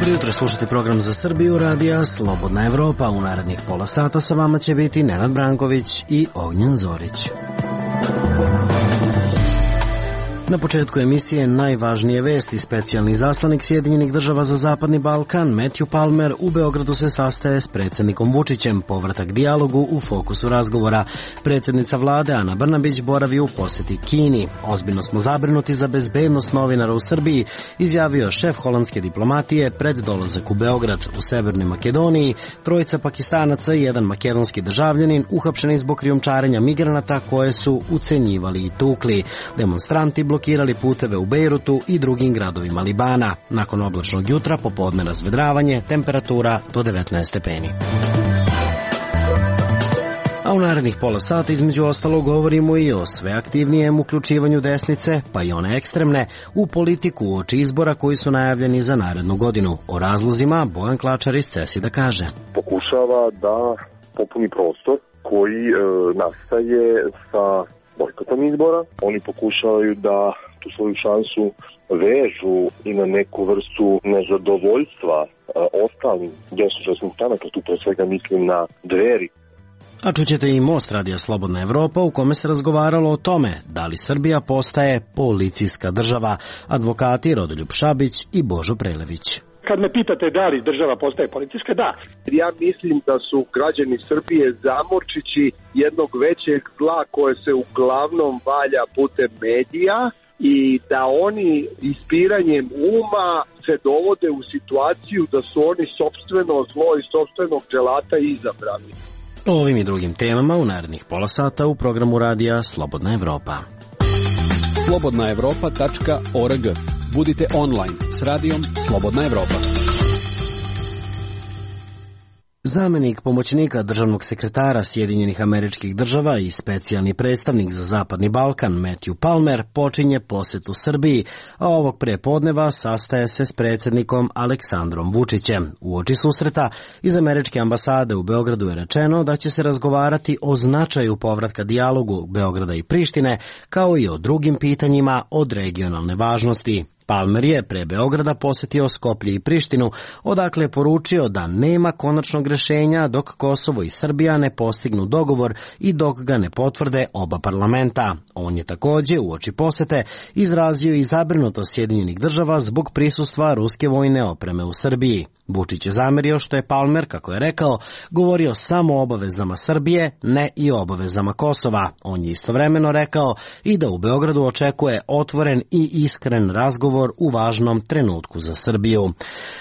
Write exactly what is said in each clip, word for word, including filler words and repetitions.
Jutro slušate program za Srbiju, radija Slobodna Evropa. U narednih pola sata sa vama će biti Nenad Branković i Ognjen Zorić. Na početku emisije najvažnije vesti. Specijalni izaslanik Sjedinjenih država za Zapadni Balkan Matthew Palmer u Beogradu se sastaje s predsjednikom Vučićem. Povratak dijalogu u fokusu razgovora. Predsjednica vlade Ana Brnabić boravi u posjeti Kini. Ozbiljno smo zabrinuti za bezbednost novinara u Srbiji, izjavio šef holandske diplomatije pred dolazak u Beograd. U Severnoj Makedoniji trojica Pakistanaca i jedan makedonski državljanin uhapšeni zbog krijumčarenja migranata koje su ucenjivali i tukli. Demonstranti blokirali puteve u Bejrutu i drugim gradovima Libana. Nakon oblačnog jutra popodne razvedravanje, temperatura do devetnaest stepeni. A u narednih pola sata između ostalog govorimo i o sve aktivnijem uključivanju desnice, pa i one ekstremne, u politiku uoči izbora koji su najavljeni za narednu godinu. O razlozima Bojan Klačar iz CESID-a kaže. Pokušava da popuni prostor koji e, nastaje sa bojkotom izbora. Oni pokušavaju da tu svoju šansu vežu i na neku vrstu nezadovoljstva e, ostalim desničarskim stranaka, tu pre svega mislim na Dveri. A čućete i Most radija Slobodna Evropa u kome se razgovaralo o tome da li Srbija postaje policijska država. Advokati Rodoljub Šabić i Božo Prelević. Kad me pitate da li država postaje policijska, da. Ja mislim da su građani Srbije zamorčići jednog većeg zla koje se uglavnom valja putem medija i da oni ispiranjem uma se dovode u situaciju da su oni sopstveno zlo i sopstvenog dželata izabrani. O ovim i drugim temama u narednih pola sata u programu radija Slobodna Evropa. slobodna evropa tačka org. Budite online s radijom Slobodna Evropa. Zamenik pomoćnika državnog sekretara Sjedinjenih Američkih Država i specijalni predstavnik za Zapadni Balkan Matthew Palmer počinje posjetu Srbiji, a ovog prepodneva sastaje se s predsjednikom Aleksandrom Vučićem. Uoči susreta iz Američke ambasade u Beogradu je rečeno da će se razgovarati o značaju povratka dijalogu Beograda i Prištine, kao i o drugim pitanjima od regionalne važnosti. Palmer je pre Beograda posjetio Skoplje i Prištinu, odakle je poručio da nema konačnog rješenja dok Kosovo i Srbija ne postignu dogovor i dok ga ne potvrde oba parlamenta. On je također uoči posjete izrazio i zabrinutost Sjedinjenih država zbog prisustva ruske vojne opreme u Srbiji. Vučić je zamerio što je Palmer, kako je rekao, govorio samo o obavezama Srbije, ne i o obavezama Kosova. On je istovremeno rekao i da u Beogradu očekuje otvoren i iskren razgovor u važnom trenutku za Srbiju.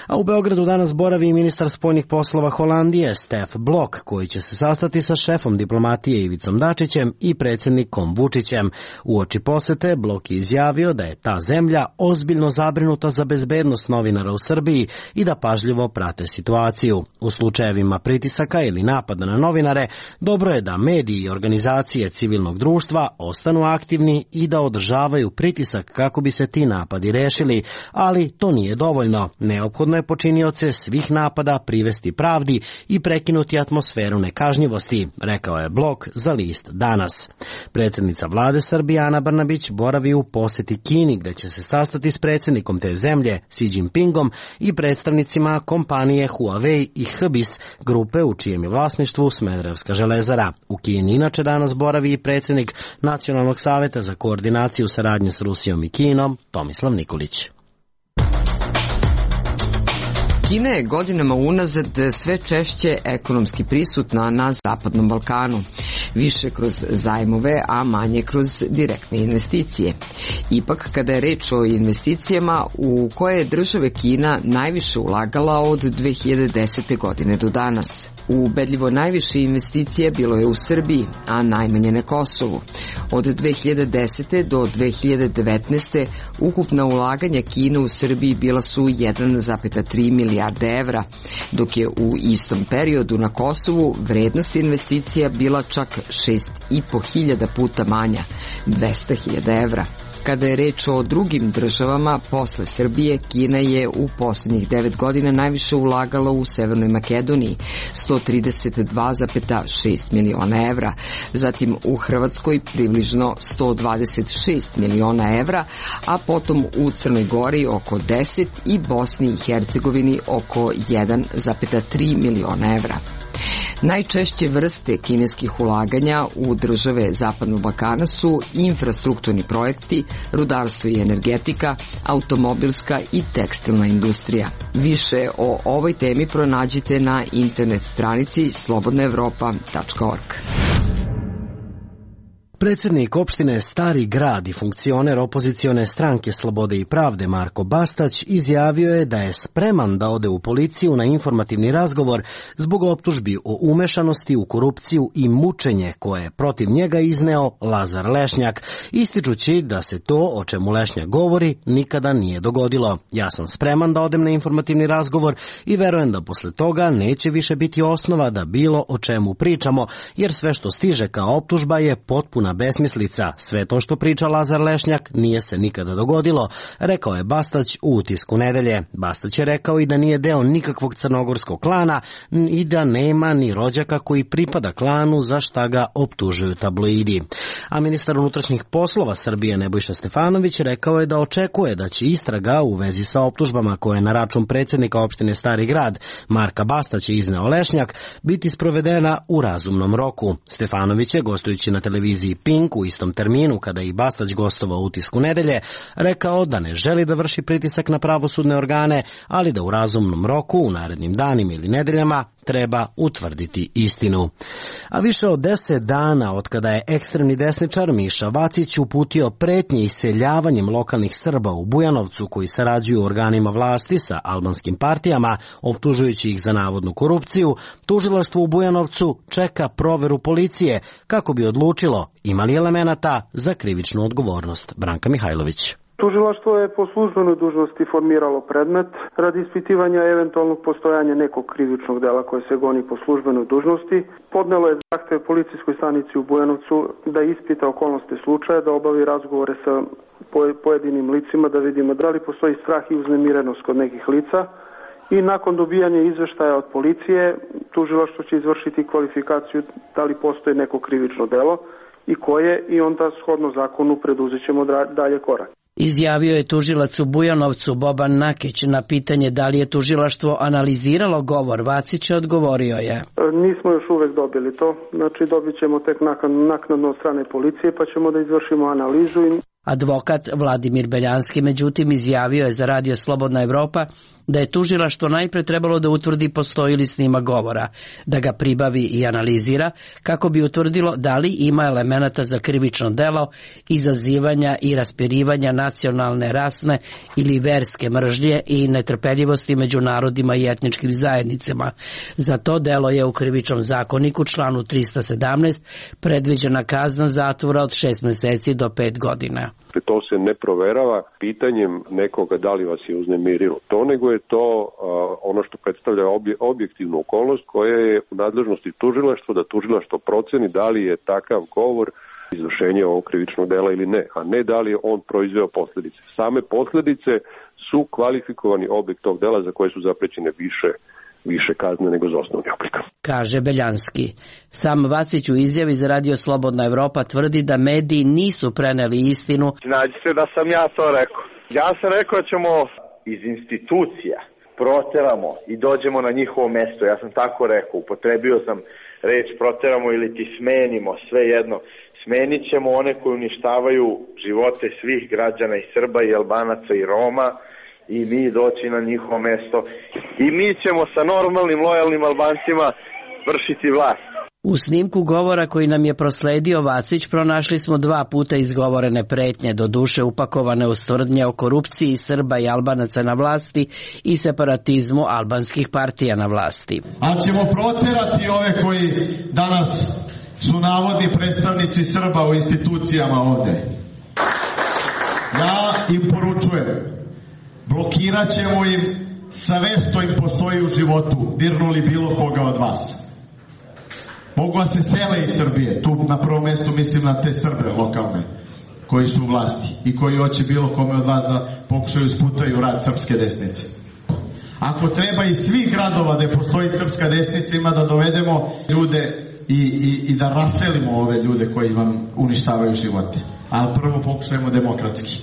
A u Beogradu danas boravi i ministar spoljnih poslova Holandije Stef Blok, koji će se sastati sa šefom diplomatije Ivicom Dačićem i predsjednikom Vučićem. Uoči posete Blok je izjavio da je ta zemlja ozbiljno zabrinuta za bezbednost novinara u Srbiji i da pažljivo prate situaciju. U slučajevima pritisaka ili napada na novinare, dobro je da mediji i organizacije civilnog društva ostanu aktivni i da održavaju pritisak kako bi se ti napadi rešili, ali to nije dovoljno. Neophodno je počinioce svih napada privesti pravdi i prekinuti atmosferu nekažnjivosti, rekao je Blok za list Danas. Predsjednica vlade Srbije Ana Brnabić boravi u posjeti Kini, gde će se sastati s predsjednikom te zemlje Xi Jinpingom i predstavnicima kompanije Huawei i Hbis, grupe u čijem je vlasništvu Smederevska železara. U Kini inače danas boravi i predsjednik Nacionalnog saveta za koordinaciju saradnje s Rusijom i Kinom Tomislav Nikolić. Kina je godinama unazad sve češće ekonomski prisutna na Zapadnom Balkanu, više kroz zajmove, a manje kroz direktne investicije. Ipak, kada je reč o investicijama u koje je države Kina najviše ulagala od dve hiljade desete. godine do danas. Ubedljivo najviše investicija bilo je u Srbiji, a najmanje na Kosovu. Od dve hiljade desete. do dve hiljade devetnaeste. ukupna ulaganja Kine u Srbiji bila su jedan zarez tri milijarde evra, dok je u istom periodu na Kosovu vrednost investicija bila čak šest i po hiljada puta manja, dvesta hiljada evra. Kada je reč o drugim državama, posle Srbije, Kina je u poslednjih devet godina najviše ulagala u Severnoj Makedoniji, sto trideset dva zarez šest miliona evra, zatim u Hrvatskoj približno sto dvadeset šest miliona evra, a potom u Crnoj Gori oko deset i Bosni i Hercegovini oko jedan zarez tri miliona evra. Najčešće vrste kineskih ulaganja u države Zapadnog Balkana su infrastrukturni projekti, rudarstvo i energetika, automobilska i tekstilna industrija. Više o ovoj temi pronađite na internet stranici slobodna evropa tačka org. Predsjednik opštine Stari Grad i funkcioner opozicione stranke Slobode i pravde Marko Bastać izjavio je da je spreman da ode u policiju na informativni razgovor zbog optužbi o umešanosti u korupciju i mučenje koje je protiv njega izneo Lazar Lešnjak, ističući da se to o čemu Lešnjak govori nikada nije dogodilo. Ja sam spreman da odem na informativni razgovor i verujem da posle toga neće više biti osnova da bilo o čemu pričamo, jer sve što stiže kao optužba je potpuna besmislica. Sve to što priča Lazar Lešnjak nije se nikada dogodilo, rekao je Bastać u Utisku nedelje. Bastać je rekao i da nije deo nikakvog crnogorskog klana i da nema ni rođaka koji pripada klanu za šta ga optužuju tabloidi. A ministar unutrašnjih poslova Srbije Nebojša Stefanović rekao je da očekuje da će istraga u vezi sa optužbama koje na račun predsjednika opštine Stari Grad Marka Bastaća izneo Lešnjak biti sprovedena u razumnom roku. Stefanović je, gostujući na televiziji Pink u istom terminu kada je i Bastać gostovao u Utisku nedelje, rekao da ne želi da vrši pritisak na pravosudne organe, ali da u razumnom roku, u narednim danima ili nedeljama, treba utvrditi istinu. A više od deset dana od kada je ekstremni desničar Miša Vacić uputio pretnje iseljavanjem lokalnih Srba u Bujanovcu koji sarađuju u organima vlasti sa albanskim partijama, optužujući ih za navodnu korupciju, tužilaštvo u Bujanovcu čeka proveru policije kako bi odlučilo ima li elemenata za krivičnu odgovornost. Branka Mihajlović. Tužilaštvo je po službenoj dužnosti formiralo predmet radi ispitivanja eventualnog postojanja nekog krivičnog dela koje se goni po službenoj dužnosti. Podnelo je zahtev policijskoj stanici u Bujanovcu da ispita okolnosti slučaja, da obavi razgovore sa pojedinim licima, da vidimo da li postoji strah i uznemirenost kod nekih lica. I nakon dobijanja izveštaja od policije, tužilaštvo će izvršiti kvalifikaciju da li postoji neko krivično delo i koje, i onda shodno zakonu preduzet ćemo dalje korak. Izjavio je tužilac u Bujanovcu Boban Nakić. Na pitanje da li je tužilaštvo analiziralo govor Vacića, odgovorio je: nismo još uvek dobili to, znači dobit ćemo tek naknadno od strane policije pa ćemo da izvršimo analizu. Advokat Vladimir Beljanski međutim izjavio je za radio Slobodna Evropa da je tužilaštvo najpre trebalo da utvrdi postoji li snima govora, da ga pribavi i analizira kako bi utvrdilo da li ima elemenata za krivično delo izazivanja i raspirivanja nacionalne, rasne ili verske mržnje i netrpeljivosti među narodima i etničkim zajednicama. Za to delo je u Krivičnom zakoniku članu trista sedamnaest predviđena kazna zatvora od šest meseci do pet godina. To se ne proverava pitanjem nekoga da li vas je uznemirilo to, nego je to uh, ono što predstavlja obje, objektivnu okolnost koja je u nadležnosti tužilaštva, da tužilaštvo proceni da li je takav govor izvršenje ovog krivičnog dela ili ne, a ne da li je on proizveo posledice. Same posledice su kvalifikovani objekt tog dela za koje su zaprećene više više kazne nego za osnovni oblik. Kaže Beljanski. Sam Vacić u izjavi za radio Slobodna Evropa tvrdi da mediji nisu preneli istinu. Nađi se da sam ja to rekao. Ja sam rekao da ćemo iz institucija proteramo i dođemo na njihovo mesto. Ja sam tako rekao. Upotrebio sam reč proteramo ili ti smenimo, sve jedno. Smenit ćemo one koji uništavaju živote svih građana i Srba i Albanaca i Roma, i mi doći na njihovo mesto i mi ćemo sa normalnim, lojalnim Albancima vršiti vlast. U snimku govora koji nam je prosledio Vacić pronašli smo dva puta izgovorene pretnje, do duše upakovane u tvrdnje o korupciji Srba i Albanaca na vlasti i separatizmu albanskih partija na vlasti. Ali ćemo proterati ove koji danas su navodni predstavnici Srba u institucijama ovde. Ja im poručujem, blokirat ćemo im sve što im postoji u životu, dirnuli bilo koga od vas. Mogu da se sele iz Srbije, tu na prvom mjestu mislim na te Srbe lokalne, koji su u vlasti i koji hoće bilo kome od vas da pokušaju sputaju rad srpske desnice. Ako treba iz svih gradova da postoji srpska desnica, ima da dovedemo ljude i, i, i da raselimo ove ljude koji vam uništavaju živote. Ali prvo pokušajmo demokratski.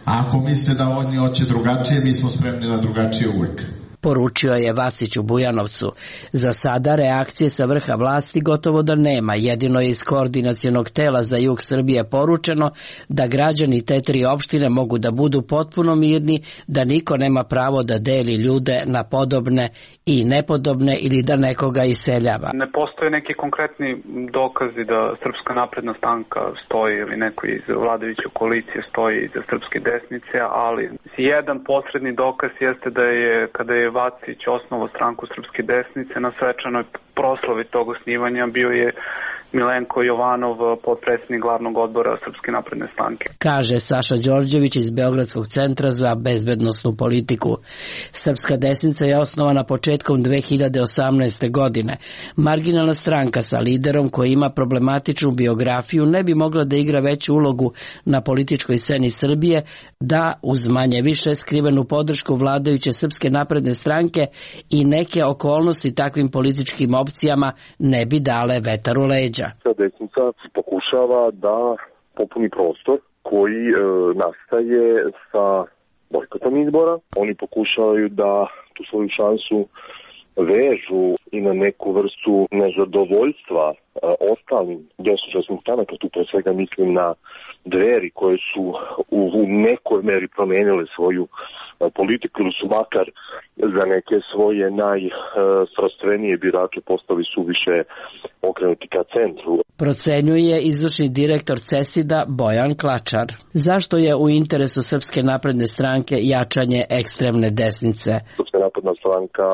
A ako misle da oni hoće drugačije, mi smo spremni na drugačije uvijek. Poručio je Vacić u Bujanovcu. Za sada reakcije sa vrha vlasti gotovo da nema. Jedino je iz koordinacionog tela za jug Srbije poručeno da građani te tri opštine mogu da budu potpuno mirni, da niko nema pravo da deli ljude na podobne i nepodobne ili da nekoga iseljava. Ne postoje neki konkretni dokazi da Srpska napredna stranka stoji ili neko iz vladajuće koalicije stoji iza srpske desnice, ali jedan posredni dokaz jeste da je, kada je Vacić osnovao stranku Srpske desnice, na svečanoj proslavi tog osnivanja bio je Milenko Jovanov, potpredsjednik glavnog odbora Srpske napredne stranke. Kaže Saša Đorđević iz Beogradskog centra za bezbednosnu politiku. Srpska desnica je osnovana početkom dve hiljade osamnaeste. godine. Marginalna stranka sa liderom koji ima problematičnu biografiju ne bi mogla da igra veću ulogu na političkoj sceni Srbije da uz manje više skrivenu podršku vladajuće Srpske napredne stranke i neke okolnosti takvim političkim opcijama ne bi dale vetar u leđa. Desnica pokušava da popuni prostor koji e, nastaje sa bojkotom izbora. Oni pokušavaju da tu svoju šansu vežu i na neku vrstu nezadovoljstva e, ostalim desničarskim stranaka. Tu pre svega mislim na Dveri koje su u, u nekoj meri promenile svoju e, politiku ili su makar za neke svoje najsrastvenije birače postali su više okrenuti ka centru. Procenjuje izvršni direktor CESID-a Bojan Klačar. Zašto je u interesu Srpske napredne stranke jačanje ekstremne desnice? Srpska napredna stranka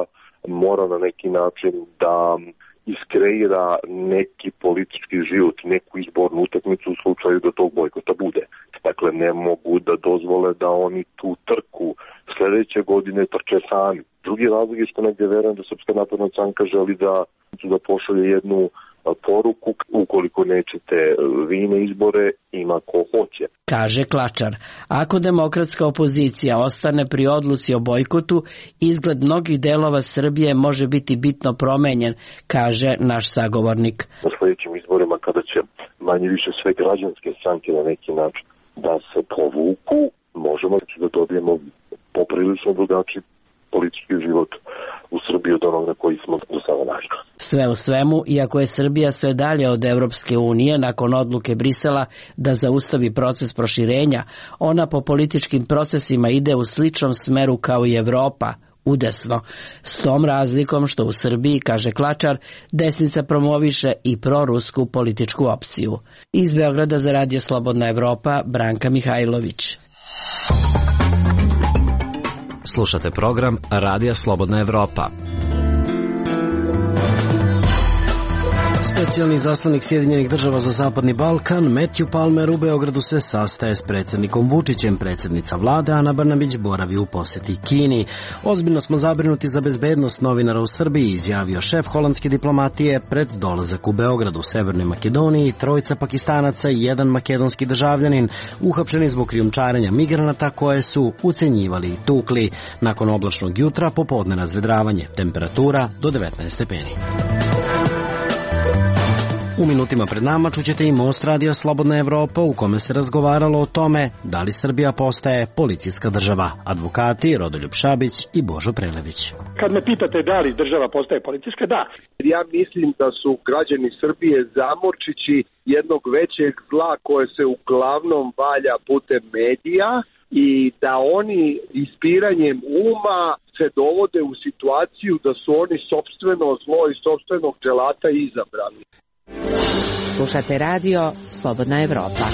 mora na neki način da iskreira neki politički život, neku izbornu utakmicu u slučaju da tog bojkota bude. Dakle, ne mogu da dozvole da oni tu trku sljedeće godine trče sami. Drugi razlog je što negdje verujem da Srpska napredna stranka želi da, da pošalje jednu poruku, ukoliko nećete vi na izbore, ima ko hoće. Kaže Klačar, ako demokratska opozicija ostane pri odluci o bojkotu, izgled mnogih delova Srbije može biti bitno promenjen, kaže naš sagovornik. Na sljedećim izborima, kada će manje više sve građanske stranke na neki način da se povuku, možemo da dobijemo poprilično drugačiji politički život u Srbiji od onog na koji smo do sada našli. Sve u svemu, iako je Srbija sve dalje od Evropske unije nakon odluke Brisela da zaustavi proces proširenja, ona po političkim procesima ide u sličnom smeru kao i Evropa, udesno, s tom razlikom što u Srbiji, kaže Klačar, desnica promoviše i prorusku političku opciju. Iz Beograda za Radio Slobodna Evropa, Branka Mihajlović. Slušate program Radija Slobodna Evropa. Specijalni zaslanik Sjedinjenih država za Zapadni Balkan, Matthew Palmer, u Beogradu se sastaje s predsjednikom Vučićem. Predsjednica vlade Ana Brnabić boravi u posjeti Kini. Ozbiljno smo zabrinuti za bezbednost novinara u Srbiji, izjavio šef holandske diplomatije pred dolazak u Beogradu. U Severnoj Makedoniji trojica Pakistanaca i jedan makedonski državljanin uhapšeni zbog krijumčarenja migranata koje su ucenjivali i tukli. Nakon oblačnog jutra popodne razvedravanje, temperatura do devetnaest stepeni. U minutima pred nama čućete i Most Radio Slobodna Evropa u kome se razgovaralo o tome da li Srbija postaje policijska država. Advokati Rodoljub Šabić i Božo Prelević. Kad me pitate da li država postaje policijska, da. Ja mislim da su građani Srbije zamorčići jednog većeg zla koje se uglavnom valja putem medija i da oni ispiranjem uma se dovode u situaciju da su oni sopstveno zlo i sopstvenog dželata izabrali. Slušate radio Slobodna Evropa.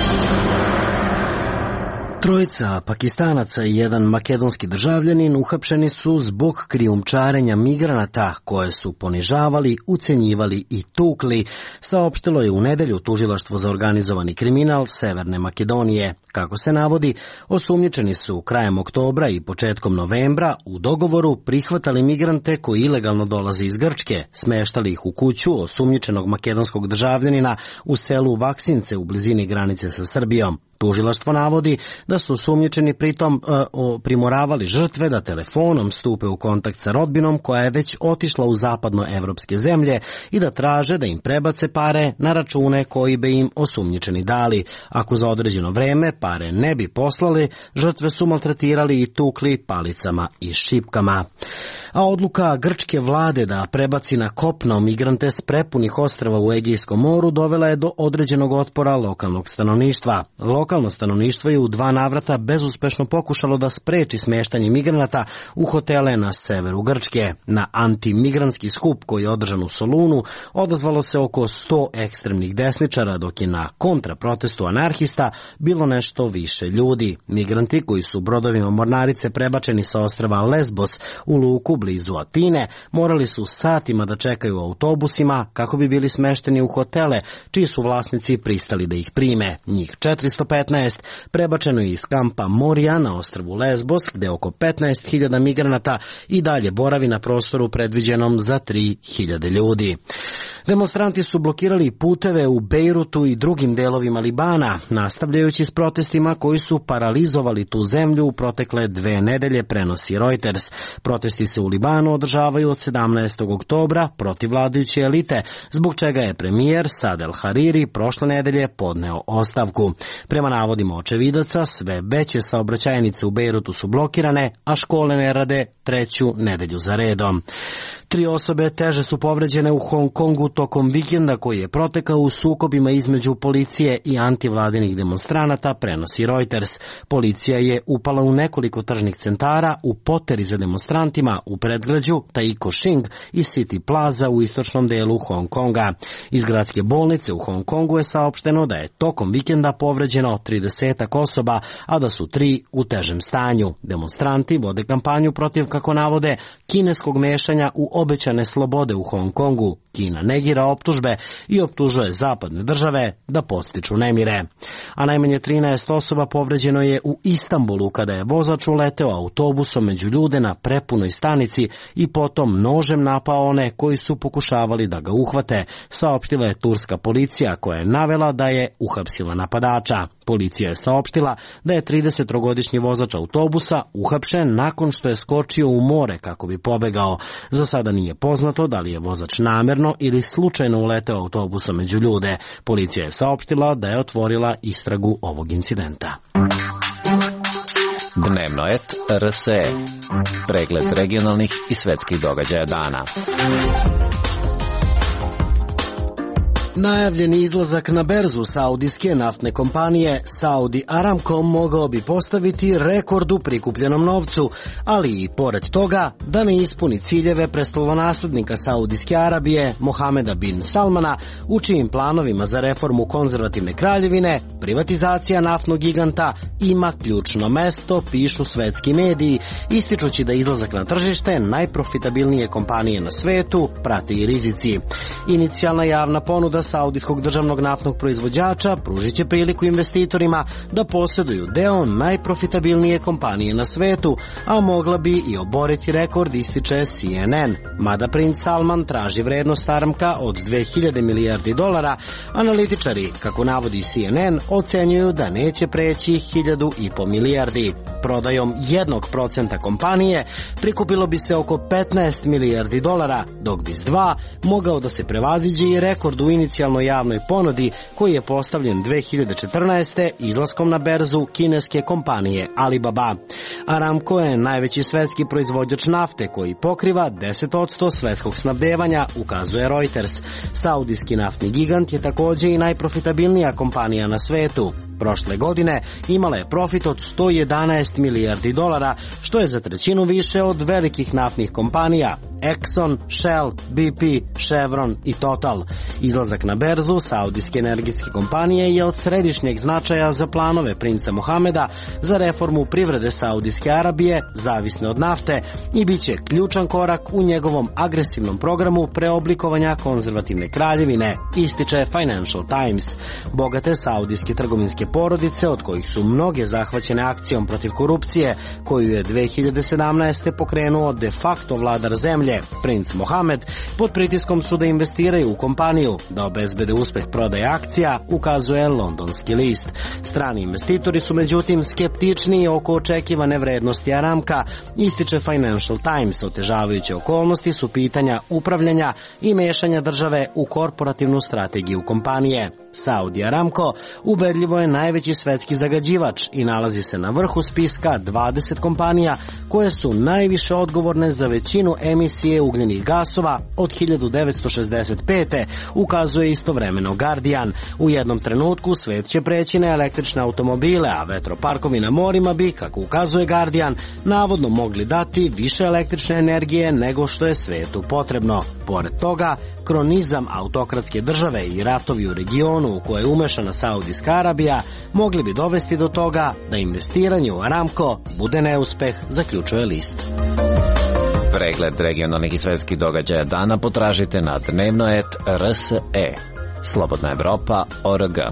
Trojica Pakistanaca i jedan makedonski državljanin uhapšeni su zbog krijumčarenja migranata koje su ponižavali, ucenjivali i tukli, saopštilo je u nedelju Tužilaštvo za organizovani kriminal Severne Makedonije. Kako se navodi, osumnjičeni su krajem oktobra i početkom novembra u dogovoru prihvatali migrante koji ilegalno dolaze iz Grčke, smeštali ih u kuću osumnjičenog makedonskog državljanina u selu Vaksince u blizini granice sa Srbijom. Tužilaštvo navodi da su osumnjičeni pritom e, primoravali žrtve da telefonom stupe u kontakt sa rodbinom koja je već otišla u zapadnoevropske zemlje i da traže da im prebace pare na račune koji bi im osumnjičeni dali. Ako za određeno vreme pare ne bi poslali, žrtve su maltretirali i tukli palicama i šipkama. A odluka grčke vlade da prebaci na kopno migrante s prepunih ostrava u Egejskom moru dovela je do određenog otpora lokalnog stanovništva. Lokalno stanovništvo je u dva navrata bezuspešno pokušalo da spreči smeštanje migranata u hotele na severu Grčke. Na antimigranski skup koji je održan u Solunu odazvalo se oko sto ekstremnih desničara, dok je na kontraprotestu anarhista bilo nešto više ljudi. Migranti koji su brodovima mornarice prebačeni sa ostrava Lesbos u luku blizu Atine morali su satima da čekaju u autobusima kako bi bili smešteni u hotele čiji su vlasnici pristali da ih prime. Njih četiristo petnaest prebačeno je iz kampa Morija na ostrvu Lesbos, gde oko petnaest hiljada migranata i dalje boravi na prostoru predviđenom za tri hiljade ljudi. Demonstranti su blokirali puteve u Bejrutu i drugim delovima Libana, nastavljajući s protestima koji su paralizovali tu zemlju u protekle dve nedelje, prenosi Reuters. Protesti se u Libanu održavaju od sedamnaestog oktobra protiv vladajuće elite, zbog čega je premijer Saad el-Hariri prošle nedelje podneo ostavku. Prema navodima očevidaca, sve veće saobraćajnice u Bejrutu su blokirane, a škole ne rade treću nedelju za redom. Tri osobe teže su povređene u Hong Kongu tokom vikenda koji je protekao u sukobima između policije i antivladinih demonstranata, prenosi Reuters. Policija je upala u nekoliko tržnih centara u poteri za demonstrantima u predgrađu Taiko Shing i City Plaza u istočnom delu Hong Konga. Iz gradske bolnice u Hong Kongu je saopšteno da je tokom vikenda povređeno tridesetak osoba, a da su tri u težem stanju. Demonstranti vode kampanju protiv, kako navode, kineskog mešanja u obećane slobode u Hong Kongu. Kina negira optužbe i optužuje zapadne države da podstiču nemire. A najmanje trinaest osoba povređeno je u Istanbulu kada je vozač uleteo autobusom među ljude na prepunoj stanici i potom nožem napao one koji su pokušavali da ga uhvate, saopštila je turska policija koja je navela da je uhapsila napadača. Policija je saopštila da je tridesettrogodišnji vozač autobusa uhapšen nakon što je skočio u more kako bi pobegao. Za sada nije poznato da li je vozač namerno ili slučajno uleteo autobusom među ljude. Policija je saopštila da je otvorila istragu ovog incidenta. Dnevnoet R S E. Pregled regionalnih i svetskih događaja dana. Najavljeni izlazak na berzu saudijske naftne kompanije Saudi Aramco mogao bi postaviti rekord u prikupljenom novcu, ali i pored toga da ne ispuni ciljeve prestolonaslednika Saudijske Arabije Mohameda bin Salmana, u čijim planovima za reformu konzervativne kraljevine privatizacija naftnog giganta ima ključno mesto, pišu svetski mediji, ističući da izlazak na tržište najprofitabilnije kompanije na svetu prate i rizici. Inicijalna javna ponuda saudijskog državnog naftnog proizvođača pružit će priliku investitorima da posjeduju deo najprofitabilnije kompanije na svetu, a mogla bi i oboriti rekord, ističe C N N. Mada princ Salman traži vrednost Aramca od dve hiljade milijardi dolara, analitičari, kako navodi C N N, ocenjuju da neće preći hiljadu i po milijardi. Prodajom jednog procenta kompanije prikupilo bi se oko petnaest milijardi dolara, dok bi s dva mogao da se prevaziđe i rekord u inicijalnoj javnoj ponudi koji je postavljen dve hiljade četrnaeste. izlaskom na berzu kineske kompanije Alibaba. Aramco je najveći svetski proizvođač nafte koji pokriva deset posto svetskog snabdevanja, ukazuje Reuters. Saudijski naftni gigant je također i najprofitabilnija kompanija na svetu. Prošle godine imala je profit od sto jedanaest milijardi dolara, što je za trećinu više od velikih naftnih kompanija Exxon, Shell, B P, Chevron i Total. Izlazak na berzu saudijske energetske kompanije je od središnjeg značaja za planove princa Mohameda za reformu privrede Saudijske Arabije, zavisne od nafte, i bit će ključan korak u njegovom agresivnom programu preoblikovanja konzervativne kraljevine, ističe Financial Times. Bogate saudijske trgovinske porodice, od kojih su mnoge zahvaćene akcijom protiv korupcije, koju je dve hiljade sedamnaeste. pokrenuo de facto vladar zemlje, princ Mohamed, pod pritiskom su da investiraju u kompaniju, da obezbede uspeh prodaje akcija, ukazuje londonski list. Strani investitori su međutim skeptičniji oko očekivane vrednosti Aramka, ističe Financial Times. Otežavajuće okolnosti su pitanja upravljanja i mešanja države u korporativnu strategiju kompanije. Saudi Aramco ubedljivo je najveći svetski zagađivač i nalazi se na vrhu spiska dvadeset kompanija koje su najviše odgovorne za većinu emisije ugljenih gasova od hiljadu devetsto šezdeset pete. ukazuje istovremeno Guardian. U jednom trenutku svet će preći na električne automobile, a vetroparkovi na morima bi, kako ukazuje Guardian, navodno mogli dati više električne energije nego što je svetu potrebno. Pored toga, kronizam autokratske države i ratovi u regionu u koje je umešana Saudijska Arabija mogli bi dovesti do toga da investiranje u Aramco bude neuspeh, zaključuje list. Pregled regionalnih i svetskih događaja dana potražite na dnevno et er es e. Slobodna Evropa точка о эр джи.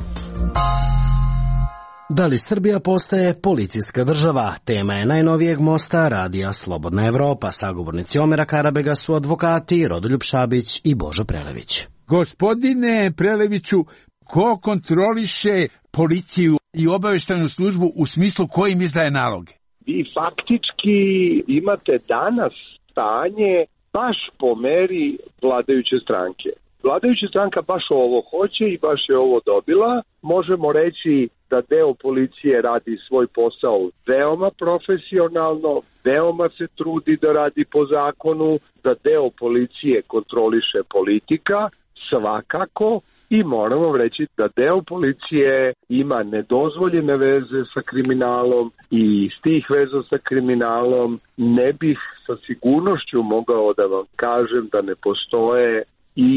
Da li Srbija postaje policijska država? Tema je najnovijeg mosta radija Slobodna Evropa. Sagovornici Omera Karabega su advokati Rodoljub Šabić i Božo Prelević. Gospodine Preleviću, ko kontroliše policiju i obaveštajnu službu u smislu ko im izdaje naloge? Vi faktički imate danas stanje baš po meri vladajuće stranke. Vladajuća stranka baš ovo hoće i baš je ovo dobila. Možemo reći da deo policije radi svoj posao veoma profesionalno, veoma se trudi da radi po zakonu, da deo policije kontroliše politika, svakako, i moramo reći da deo policije ima nedozvoljene veze sa kriminalom i iz tih veza sa kriminalom ne bih sa sigurnošću mogao da vam kažem da ne postoje i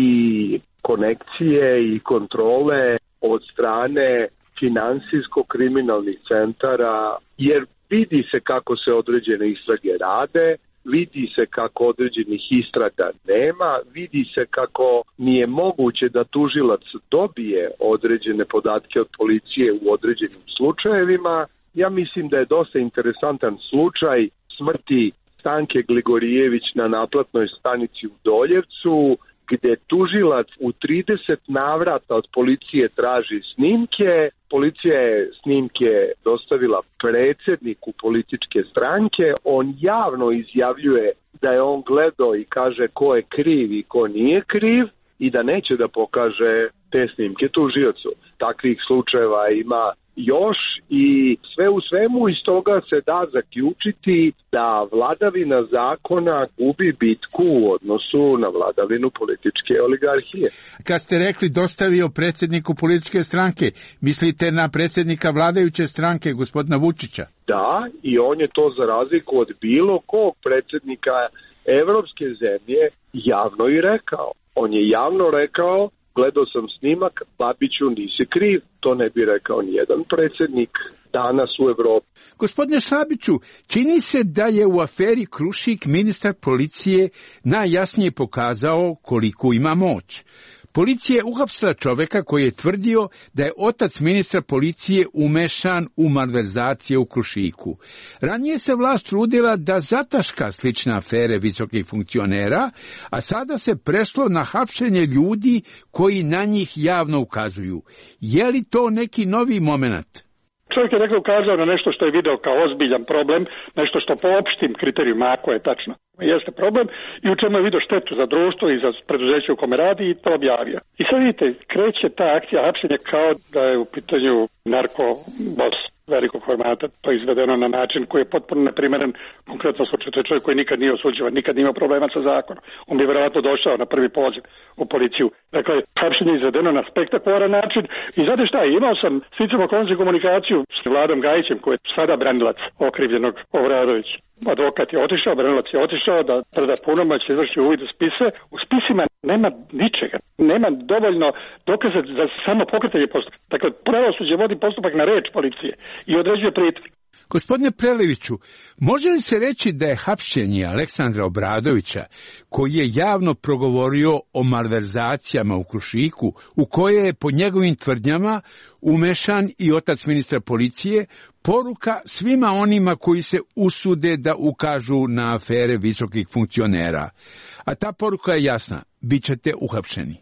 konekcije i kontrole od strane finansijsko-kriminalnih centara, jer vidi se kako se određene istrage rade, vidi se kako određenih istraga nema, vidi se kako nije moguće da tužilac dobije određene podatke od policije u određenim slučajevima. Ja mislim da je dosta interesantan slučaj smrti Stanke Gligorijević na naplatnoj stanici u Doljevcu, gde tužilac u trideset navrata od policije traži snimke. Policija je snimke dostavila predsjedniku političke stranke. On javno izjavljuje da je on gledao i kaže ko je kriv i ko nije kriv i da neće da pokaže te snimke tužiocu. Takvih slučajeva ima još i sve u svemu iz toga se da zaključiti da vladavina zakona gubi bitku u odnosu na vladavinu političke oligarhije. Kad ste rekli dostavio predsjedniku političke stranke, mislite na predsjednika vladajuće stranke, gospodina Vučića? Da, i on je to za razliku od bilo kog predsjednika evropske zemlje javno i rekao. On je javno rekao: gledao sam snimak, Babiću nisi kriv. To ne bi rekao nijedan predsjednik danas u Evropi. Gospodine Šabiću, čini se da je u aferi Krušik ministar policije najjasnije pokazao koliko ima moć. Policija je uhapsila čoveka koji je tvrdio da je otac ministra policije umešan u malverzacije u Krušiku. Ranije se vlast trudila da zataška slične afere visokih funkcionera, a sada se prešlo na hapšenje ljudi koji na njih javno ukazuju. Je li to neki novi moment? Čovjek je dakle ukazao na nešto što je video kao ozbiljan problem, nešto što po opštim kriterijima, ako je tačno, jeste problem i u čemu je video štetu za društvo i za preduzeće u kome radi i to objavio. I sad vidite, kreće ta akcija hapšenja kao da je u pitanju narkobos velikog formata, to je izvedeno na način koji je potpuno neprimeren. Konkretno slučaj, to je čovjek koji nikad nije osuđivan, nikad nije imao problema sa zakonom. On bi vjerovatno došao na prvi poziv u policiju. Dakle, hapšenje je izvedeno na spektakularan način i znate šta, imao sam sticam okolnosti komunikaciju s Vladom Gajićem, koji je sada branilac okrivljenog Obradovića. Advokat je otišao, branilac je otišao da preda punomoć, izvrši uvid u spise. U spisima nema ničega, nema dovoljno dokaza za samo pokretanje postupka. Dakle, pravosuđe vodi postupak na reč policije i određuje pritvor. Gospodine Preleviću, može li se reći da je hapšenje Aleksandra Obradovića, koji je javno progovorio o malverzacijama u Krušiku, u koje je po njegovim tvrdnjama umešan i otac ministra policije, poruka svima onima koji se usude da ukažu na afere visokih funkcionera? A ta poruka je jasna, bit ćete uhapšeni.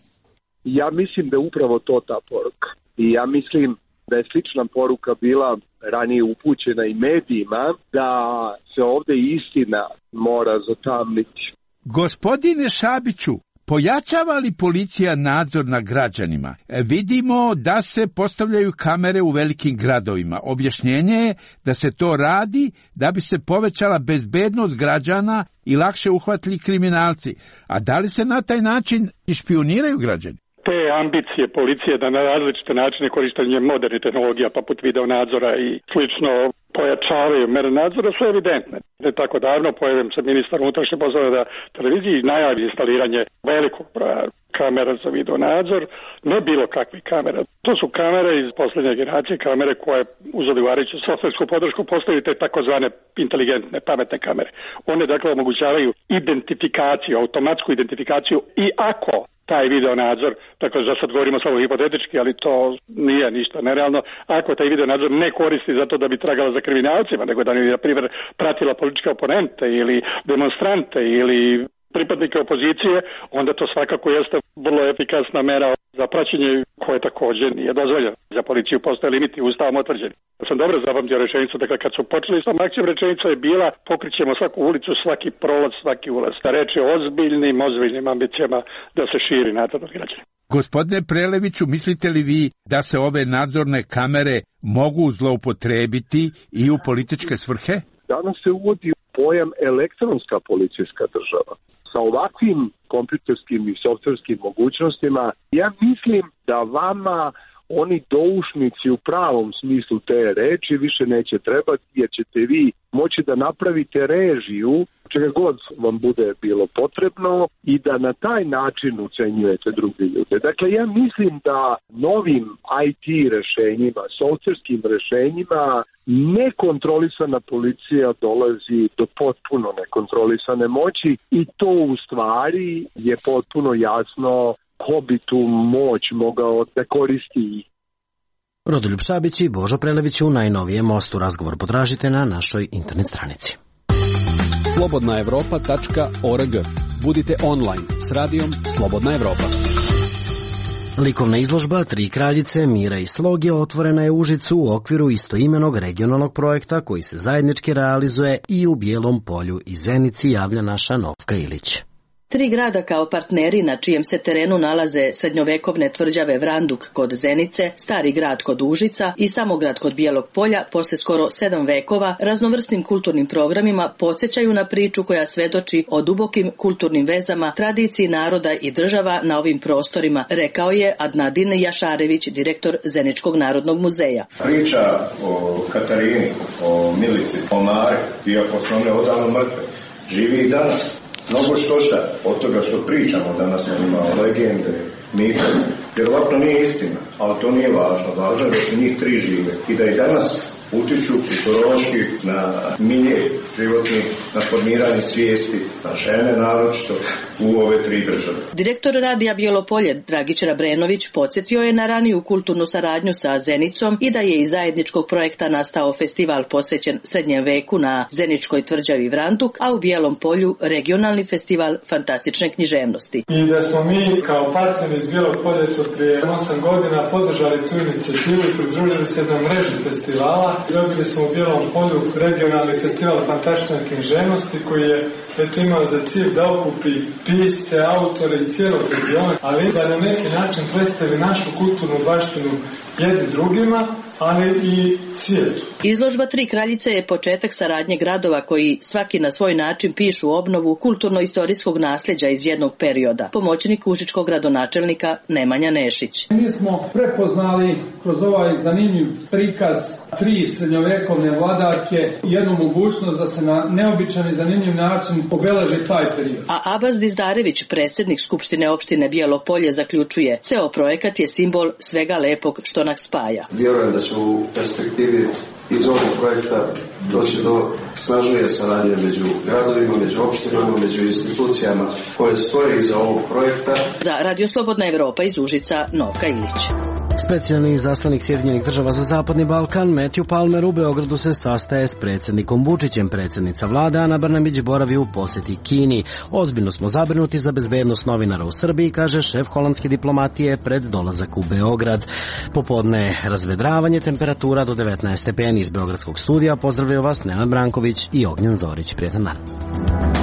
Ja mislim da je upravo to ta poruka. I ja mislim da je slična poruka bila ranije upućena i medijima, da se ovde istina mora zatamniti. Gospodine Šabiću, pojačava li policija nadzor na građanima? E, vidimo da se postavljaju kamere u velikim gradovima. Objašnjenje je da se to radi da bi se povećala bezbednost građana i lakše uhvatili kriminalci. A da li se na taj način špijuniraju građani? Te ambicije policije da na različite načine korištenje modernih tehnologija poput video nadzora i slično pojačavaju mere nadzora su evidentne. Ne tako davno pojavim se ministar unutrašnjih poslova da televiziji najavi instaliranje velikog broja kamera za video nadzor, ne bilo kakvih kamera. To su kamere iz posljednje generacije, kamere koje uz odgovarajuću softversku podršku postaju te takozvane inteligentne, pametne kamere. One dakle omogućavaju identifikaciju, automatsku identifikaciju i ako taj video nadzor, dakle za sad govorimo samo hipotetički, ali to nije ništa nerealno, ako taj video nadzor ne koristi zato da bi tragala za kriminalcima, nego da bi, na primjer, pratila političke oponente ili demonstrante ili pripadnike opozicije, onda to svakako jeste vrlo efikasna mera za praćenje koje također nije dozvoljeno. Za policiju postoje limiti ustavom utvrđeni. Ja sam dobro zapamtio rečenicu, dakle kad su počeli s tom akcijom, rečenica je bila pokrićemo svaku ulicu, svaki prolaz, svaki ulaz. Da reč je o ozbiljnim, ozbiljnim ambicijama da se širi nadzor nad građanima. Gospodine Preleviću, mislite li vi da se ove nadzorne kamere mogu zloupotrebiti i u političke svrhe? Danas se uvodi pojam elektronska policijska država. Sa ovakvim kompjuterskim i softverskim mogućnostima, ja mislim da vama oni doušnici u pravom smislu te reči više neće trebati, jer ćete vi moći da napravite režiju čega god vam bude bilo potrebno i da na taj način ucenjujete drugi ljude. Dakle, ja mislim da novim I T rešenjima, softverskim rešenjima, nekontrolisana policija dolazi do potpuno nekontrolisane moći i to u stvari je potpuno jasno ko bi tu moć mogao da koristi. Rodoljub Šabić i Božo Prelević u najnovijem Mostu. Razgovor potražite na našoj internet stranici. slobodna evropa tačka org. Budite online s radijom Slobodna Evropa. Likovna izložba Tri kraljice, Mira i Slog je otvorena je u Užicu u okviru istoimenog regionalnog projekta koji se zajednički realizuje i u Bijelom Polju i Zenici, javlja naša Novka Ilić. Tri grada kao partneri na čijem se terenu nalaze srednjovekovne tvrđave Vranduk kod Zenice, Stari grad kod Užica i Samograd kod Bijelog Polja, posle skoro sedam vekova, raznovrsnim kulturnim programima podsjećaju na priču koja svedoči o dubokim kulturnim vezama, tradiciji naroda i država na ovim prostorima, rekao je Adnadin Jašarević, direktor Zeničkog narodnog muzeja. Priča o Katarini, o Milici, o Mari, iako su one odavno mrtve, živi i danas. Mnogo što šta od toga što pričamo danas ima legende, mite, vjerovatno nije istina, ali to nije važno. Važno je da su njih tri žive i da i danas utiču kulturološki na milje životni, na formiranje svijesti, na žene naročito u ove tri države. Direktor radija Bijelo Polje Dragić Rabrenović podsjetio je na raniju kulturnu saradnju sa Zenicom i da je iz zajedničkog projekta nastao festival posvećen srednjem veku na Zeničkoj tvrđavi Vranduk, a u Bijelom Polju regionalni festival fantastične književnosti. I da smo mi kao partneri iz Bijelog Polja prije osam godina podržali tu inicijativu i pridružili se na mreži festivala. Dobili smo u Bijelom Polju regionalni festival fantastične književnosti koji je eto imao za cilj da okupi pisce, autore iz cijelog regiona, ali da na neki način predstavi našu kulturnu baštinu jednim drugima, ali i svijetu. Izložba Tri kraljice je početak saradnje gradova koji svaki na svoj način pišu obnovu kulturno-istorijskog nasljeđa iz jednog perioda. Pomoćnik užičkog gradonačelnika Nemanja Nešić. Mi smo prepoznali kroz ovaj zanimljiv prikaz tri srednjovekovne vladarke jednu mogućnost da se na neobičan i zanimljiv način obeleži taj period. A Abaz Dizdarević, predsjednik Skupštine opštine Bijelo Polje, zaključuje: ceo projekat je simbol svega lepog što nas spaja. Vjerujem da će u perspektivi iz ovog projekta doći do snažnije saradnje među gradovima, među opštinama, među institucijama koje stoje iza ovog projekta. Za Radio Slobodna Evropa iz Užica, Novka Ilić. Specijalni izaslanik Sjedinjenih država za Zapadni Balkan Matthew Palmer u Beogradu se sastaje s predsjednikom Vučićem. Predsjednica vlade Ana Brnabić boravi u posjeti Kini. Ozbiljno smo zabrinuti za bezbednost novinara u Srbiji, kaže šef holandske diplomatije pred dolazak u Beograd. Popodne razvedravanje, temperatura do devetnaest stepeni. Iz beogradskog studija pozdravljaju vas Nenad Branković i Ognjen Zorić. Prijetan dan.